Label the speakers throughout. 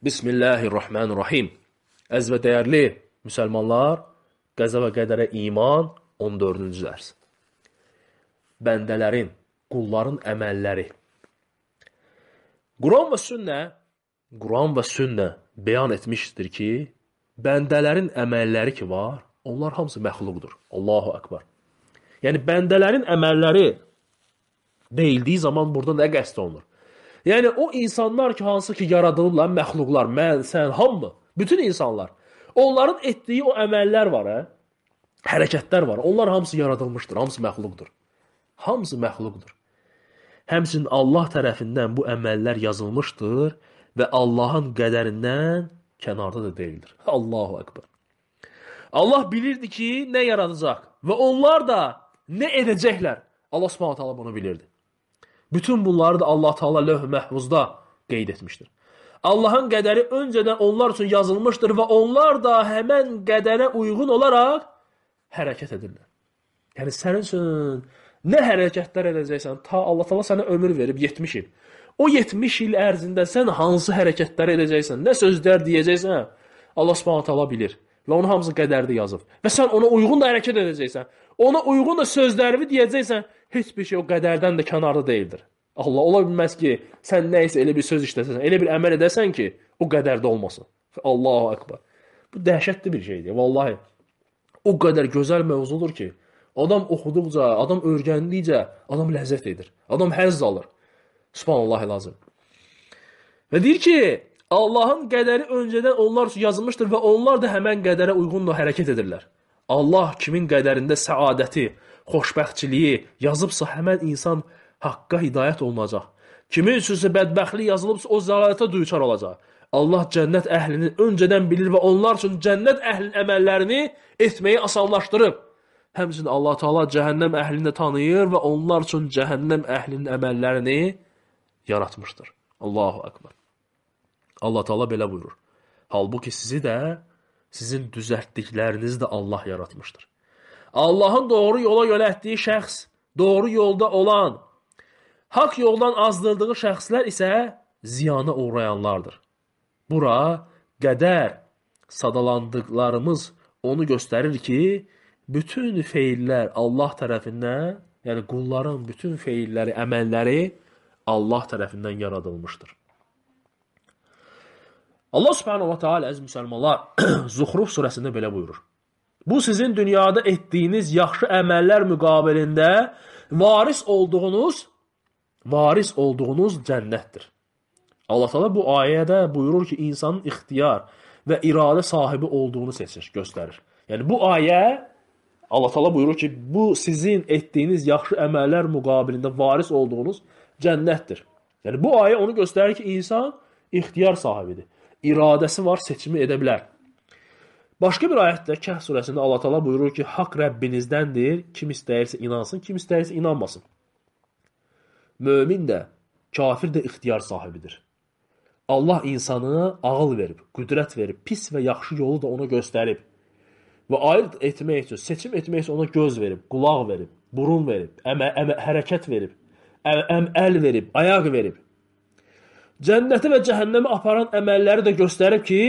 Speaker 1: Bismillahirrahmanirrahim. Əziz və dəyərli müsəlmanlar, qəza və qədərə iman 14-cü dərs. Bəndələrin, qulların əməlləri. Quran və sünnə bəyan etmişdir ki, bəndələrin əməlləri ki var, onlar hamısı məxluqdur. Allahu Akbar. Yəni, bəndələrin əməlləri deyildiyi zaman burada nə qəsd olunur? Yəni, o insanlar ki, hansı ki, yaradılıblar, məxluqlar, mən, sən, hamı, bütün insanlar, onların etdiyi o əməllər var, hərəkətlər var, onlar hamısı yaradılmışdır, hamısı məxluqdur. Hamısı məxluqdur. Həmçinin Allah tərəfindən bu əməllər yazılmışdır və Allahın qədərindən kənarda da deyildir. Allahu Akbar. Allah bilirdi ki, nə yaradacaq və onlar da nə edəcəklər. Allah Subhanahu taala bunu bilirdi. Bütün bunları da Allah Teala lövh-i məhfuzda qeyd etmişdir. Allahın qədəri öncədən onlar üçün yazılmışdır və onlar da həmən qədərə uyğun olaraq hərəkət edirlər. Yəni, sənin üçün nə hərəkətlər edəcəksən, ta Allah Teala sənə ömür verib 70 il. O 70 il ərzində sən hansı hərəkətlər edəcəksən, nə sözlər deyəcəksən, Allah Subhanahu taala bilir. Və onun hamısı qədərdə yazıb. Və sən ona uyğun da hərəkət edəcəksən. Ona uyğun da sözlərini deyəcəksən, heç bir şey o qədərdən də kənarda deyildir. Allah ola bilməz ki, sən nə isə elə bir söz işləsən, elə bir əməl edəsən ki, o qədərdə olmasın. Allahu Akbar. Bu dəhşətli bir şeydir. Vallahi, o qədər gözəl mövzudur ki, adam oxuduqca, adam öyrəndikcə, adam ləzzət edir. Adam həzz alır. Subhanallah lazım. Və deyir ki, Allahın qədəri öncədən onlar üçün yazılmışdır və onlar da həmən qədərə uyğunla hərəkət edirlər. Allah kimin qədərində səadəti, xoşbəxtçiliyi yazıbsa həmən insan haqqa hidayət olunacaq. Kimin üçünsə bədbəxtlik yazılıbsa o zəlalətə düçar olacaq. Allah cənnət əhlini öncədən bilir və onlar üçün cənnət əhlinin əməllərini etməyi asanlaşdırıb. Həmçinin Allah Teala cəhənnəm əhlini də tanıyır və onlar üçün cəhənnəm əhlinin əməllərini yaratmışdır. Allahu Akbar. Allah Teala belə buyurur. Halbuki sizi də, sizin düzəltdiklərinizi də Allah yaratmışdır. Allahın doğru yola yönəltdiyi şəxs, doğru yolda olan, haqq yoldan azdırdığı şəxslər isə ziyana uğrayanlardır. Bura qədər sadalandıqlarımız onu göstərir ki, bütün feillər Allah tərəfindən, yəni qulların bütün feilləri, əməlləri Allah tərəfindən yaradılmışdır. Allah Subhanahu wa Ta'ala əziz müsəlmanlar Zuhruf surəsində belə buyurur. Bu sizin dünyada etdiyiniz yaxşı əməllər müqabilində varis olduğunuz cənnətdir. Allah Teala bu ayədə buyurur ki, insanın ixtiyar və iradə sahibi olduğunu seçir, göstərir. Yəni bu ayə Allah Teala buyurur ki, bu sizin etdiyiniz yaxşı əməllər müqabilində varis olduğunuz cənnətdir. Yəni bu ayə onu göstərir ki, insan ixtiyar sahibidir. İradəsi var, seçimi edə bilər. Başqa bir ayətdə Kəhf surəsində Allah Teala buyurur ki, haqq Rəbbinizdəndir, kim istəyirsə inansın, kim istəyirsə inanmasın. Mömin də, kafir də ixtiyar sahibidir. Allah insana ağıl verib, qüdrət verib, pis və yaxşı yolu da ona göstərib. Və ayırt etmək üçün, seçim etmək üçün ona göz verib, qulaq verib, burun verib, hərəkət verib, əl verib, ayaq verib. Cənnəti və cəhənnəmi aparan əməlləri də göstərib ki,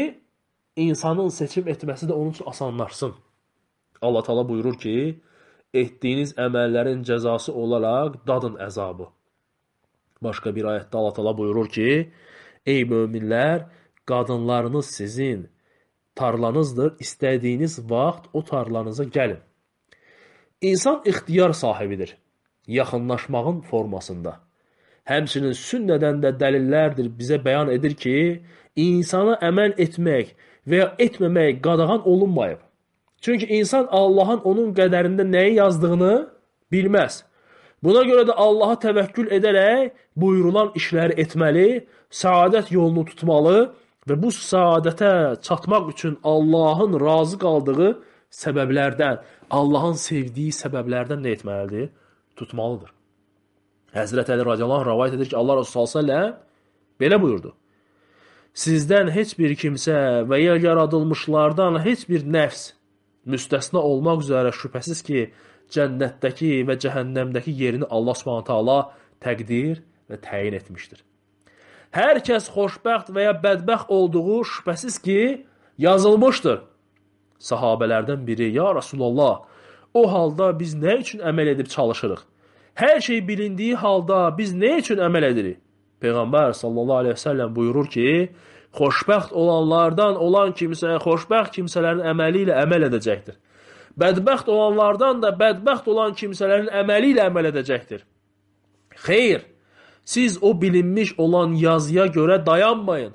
Speaker 1: insanın seçim etməsi də onun üçün asanlaşsın. Allah Teala buyurur ki, etdiyiniz əməllərin cəzası olaraq dadın əzabı. Başqa bir ayətdə Allah Teala buyurur ki, ey möminlər, qadınlarınız sizin tarlanızdır, istədiyiniz vaxt o tarlanıza gəlin. İnsan ixtiyar sahibidir, yaxınlaşmağın formasında. Həmçinin sünnədən də dəlillərdir bizə bəyan edir ki, insana əməl etmək və ya etməmək qadağan olunmayıb. Çünki insan Allahın onun qədərində nəyi yazdığını bilməz. Buna görə də Allaha təvəkkül edərək buyurulan işləri etməli, səadət yolunu tutmalı və bu səadətə çatmaq üçün Allahın razı qaldığı səbəblərdən, Allahın sevdiyi səbəblərdən nə etməlidir? Tutmalıdır. Həzrət Əli radiyallahu anh rəvayət edir ki, Allah Resulü s.ə.v belə buyurdu. Sizdən heç bir kimsə və ya yaradılmışlardan heç bir nəfs müstəsna olmaq üzrə şübhəsiz ki, cənnətdəki və cəhənnəmdəki yerini Allah Subhanahu taala təqdir və təyin etmişdir. Hər kəs xoşbəxt və ya bədbəxt olduğu şübhəsiz ki, yazılmışdır. Sahabələrdən biri, ya Rasulallah, o halda biz nə üçün əməl edib çalışırıq? Hər şey bilindiyi halda biz nə üçün əməl edirik? Peyğəmbər sallallahu aleyhi ve sellem buyurur ki, xoşbəxt olanlardan olan kimsə, xoşbəxt kimsələrin əməli ilə əməl edəcəkdir. Bədbəxt olanlardan da bədbəxt olan kimsələrin əməli ilə əməl edəcəkdir. Xeyr, siz o bilinmiş olan yazıya görə dayanmayın.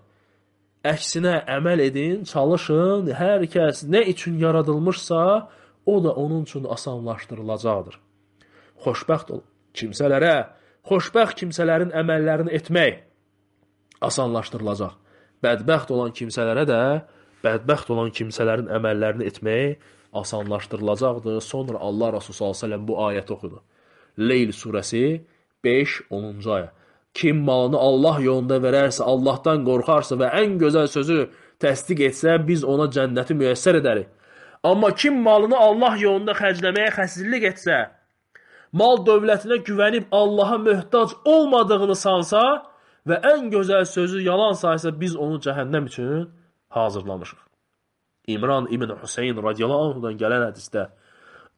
Speaker 1: Əksinə əməl edin, çalışın, hər kəs nə üçün yaradılmışsa, o da onun üçün asanlaşdırılacaqdır. Xoşbəxt kimsələrə, xoşbəxt kimsələrin əməllərini etmək asanlaşdırılacaq. Bədbəxt olan kimsələrə də, bədbəxt olan kimsələrin əməllərini etmək asanlaşdırılacaqdır. Sonra Allah Resulü sallallahu əleyhi və səlləm bu ayəti oxudu. Leyl surəsi 5-10-cu ayə. Kim malını Allah yolunda verərsə, Allahdan qorxarsa və ən gözəl sözü təsdiq etsə, biz ona cənnəti müyəssər edərik. Amma kim malını Allah yolunda xərcləməyə xəsirlik etsə, mal dövlətinə güvənib Allaha möhtac olmadığını sansa və ən gözəl sözü yalan saysa, biz onu cəhənnəm üçün hazırlamışıq. İmran ibn Hüseyin radiyallahu anhudan gələn hədisdə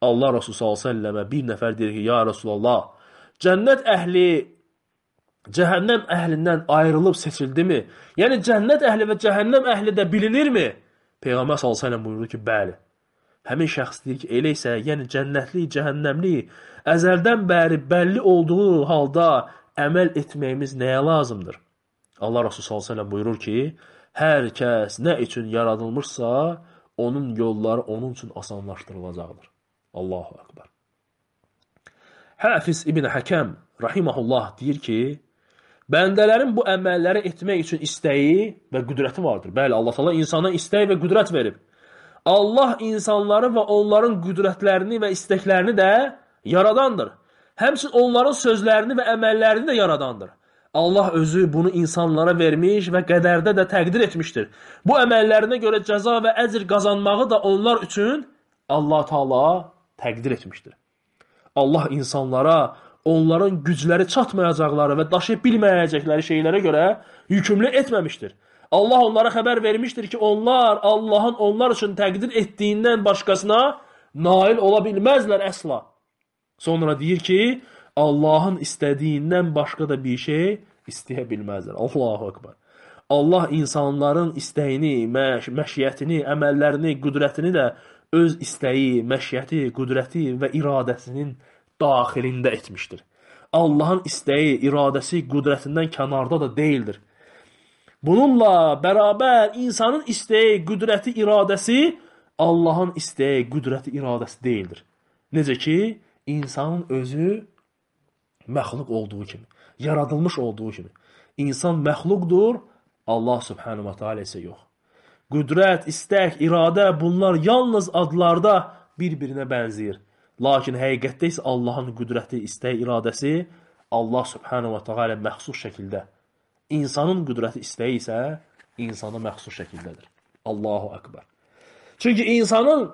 Speaker 1: Allah Resulü sallallahu əleyhi və səlləmə bir nəfər deyir ki, ya Resulallah, cənnət əhli cəhənnəm əhlindən ayrılıb seçildimi? Yəni cənnət əhli və cəhənnəm əhli də bilinirmi? Peyğəmbər sallallahu əleyhi və səlləm buyurdu ki, bəli. Həmin şəxs deyir ki, elə isə, yəni cənnətli, cəhənnəmli əzəldən bəri bəlli olduğu halda əməl etməyimiz nəyə lazımdır? Allah Resulü sallallahu əleyhi və səlləm buyurur ki, hər kəs nə üçün yaradılmışsa, onun yolları onun üçün asanlaşdırılacaqdır. Allahu Akbar. Hafiz İbn Həkəm rahimehullah deyir ki, bəndələrin bu əməlləri etmək üçün istəyi və qüdrəti vardır. Bəli, Allah Teala insana istək və qüdrət verib. Allah insanları və onların qüdrətlərini və istəklərini də yaradandır. Həmçinin onların sözlərini və əməllərini də yaradandır. Allah özü bunu insanlara vermiş və qədərdə də təqdir etmişdir. Bu əməllərinə görə cəza və əcr qazanmağı da onlar üçün Allah Teala təqdir etmişdir. Allah insanlara onların gücləri çatmayacaqları və daşı bilməyəcəkləri şeylərə görə yükümlü etməmişdir. Allah onlara xəbər vermişdir ki, onlar Allahın onlar üçün təqdir etdiyindən başqasına nail ola bilməzlər əsla. Sonra deyir ki, Allahın istədiyindən başqa da bir şey istəyə bilməzlər. Allahu Akbar. Allah insanların istəyini, məşiyyətini, əməllərini, qüdrətini də öz istəyi, məşiyyəti, qüdrəti və iradəsinin daxilində etmişdir. Allahın istəyi, iradəsi, qüdrətindən kənarda da deyildir. Bununla bərabər insanın istəyi, qüdrəti, iradəsi Allahın istəyi, qüdrəti, iradəsi deyildir. Necə ki, insanın özü məxluq olduğu kimi, yaradılmış olduğu kimi. İnsan məxluqdur, Allah subhanahu wa ta'ala isə yox. Qüdrət, istək, iradə bunlar yalnız adlarda bir-birinə bənzəyir. Lakin həqiqətdə isə Allahın qüdrəti, istək, iradəsi Allah subhanahu wa ta'ala məxsus şəkildə. İnsanın qüdrəti, istəyi isə insana məxsus şəkildədir. Allahu Akbar. Çünki insanın,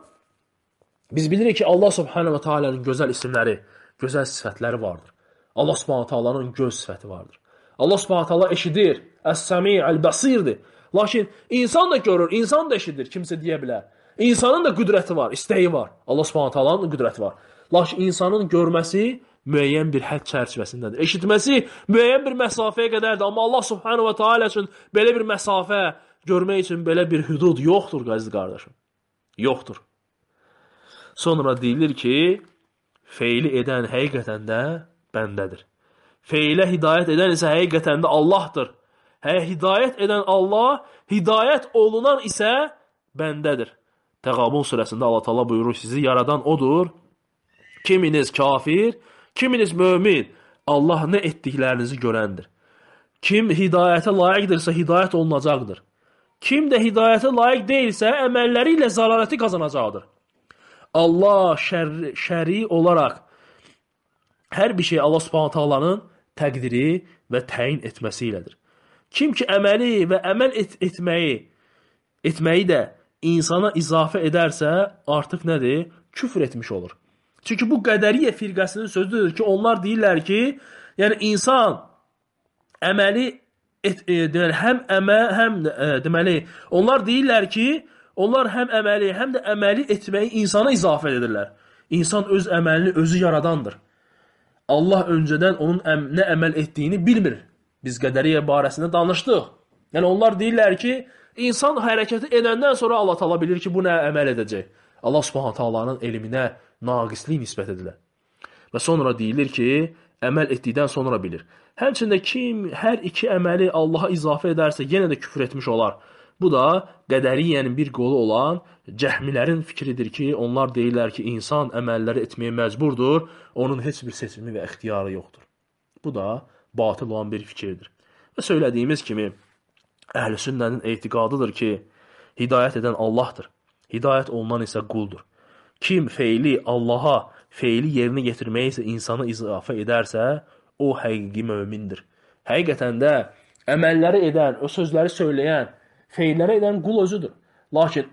Speaker 1: biz bilirik ki, Allah subhanahu wa ta'ala'nın gözəl isimləri, gözəl sifətləri vardır. Allah subhanahu wa ta'ala'nın göz sifəti vardır. Allah subhanahu wa ta'ala eşidir, əs-səmi, əl-bəsirdir. Lakin insan da görür, insan da eşidir, kimsə deyə bilər. İnsanın da qüdrəti var, istəyi var. Allah subhanahu wa ta'ala'nın qüdrəti var. Lakin insanın görməsi müəyyən bir hədd çərçivəsindədir. Eşitməsi müəyyən bir məsafəyə qədərdir. Amma Allah subhanahu wa ta'ala üçün belə bir məsafə, görmək üçün belə bir hüdud yoxdur, əziz qardaşım. Yoxdur. Sonra deyilir ki, feili edən həqiqətən də bəndədir. Feilə hidayət edən isə həqiqətən də Allahdır. Hidayət edən Allah, hidayət olunan isə bəndədir. Təğabun surəsində Allah Teala buyurur, sizi yaradan odur. Kiminiz kafir, kiminiz mömin. Allah nə etdiklərinizi görəndir. Kim hidayətə layiqdirsə hidayət olunacaqdır. Kim də hidayətə layiq deyilsə əməlləri ilə zəlaləti qazanacaqdır. Allah şəri olaraq hər bir şey Allah subhanahu ta'alanın təqdiri və təyin etməsi ilədir. Kim ki əməli və əməl etməyi də insana izafə edərsə, artıq nədir? Küfr etmiş olur. Çünki bu qədəriyyə firqəsinin sözüdür ki, onlar deyirlər ki, yəni insan əməli deməli, deməli, onlar deyirlər ki, onlar həm əməli, həm də əməli etməyi insana izafə edirlər. İnsan öz əməlini özü yaradandır. Allah öncədən onun nə əməl etdiyini bilmir. Biz qədəriyyə barəsində danışdıq. Yəni onlar deyirlər ki, insan hərəkəti edəndən sonra Allah Taala bilir ki, bu nə əməl edəcək. Allah Subhanahu taalanın elminə naqislik nisbət edilir. Və sonra deyilir ki, əməl etdikdən sonra bilir. Həmçində kim hər iki əməli Allaha izafə edərsə, yenə də küfr etmiş olar. Bu da qədəriyyənin bir qolu olan cəhmilərin fikridir ki, onlar deyirlər ki, insan əməlləri etməyə məcburdur, onun heç bir seçimi və ixtiyarı yoxdur. Bu da batıl olan bir fikirdir. Və söylədiyimiz kimi, əhl-i sünnənin etiqadıdır ki, hidayət edən Allahdır. Hidayət olunan isə quldur. Kim feili Allaha, feili yerinə yetirməyə isə insanı izafə edərsə, o həqiqi mömindir. Həqiqətən də əməlləri edən, o sözləri söyləyən, feilləri edən qul özüdür. Lakin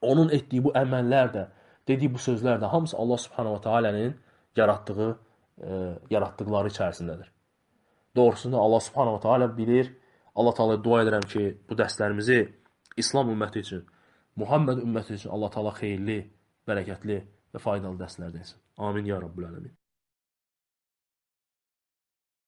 Speaker 1: onun etdiyi bu əməllər də, dediyi bu sözlər də hamısı Allah Subhanahu Taala'nın yaratdıqları içərisindədir. Doğrusunu Allah Subhanahu Taala bilir. Allah Taala dua edirəm ki, bu dərslərimizi İslam ümməti üçün, Muhammed ümməti üçün Allah Taala xeyirli, bərəkətli və faydalı dərslər desin. Amin ya Rabbul Ələmin.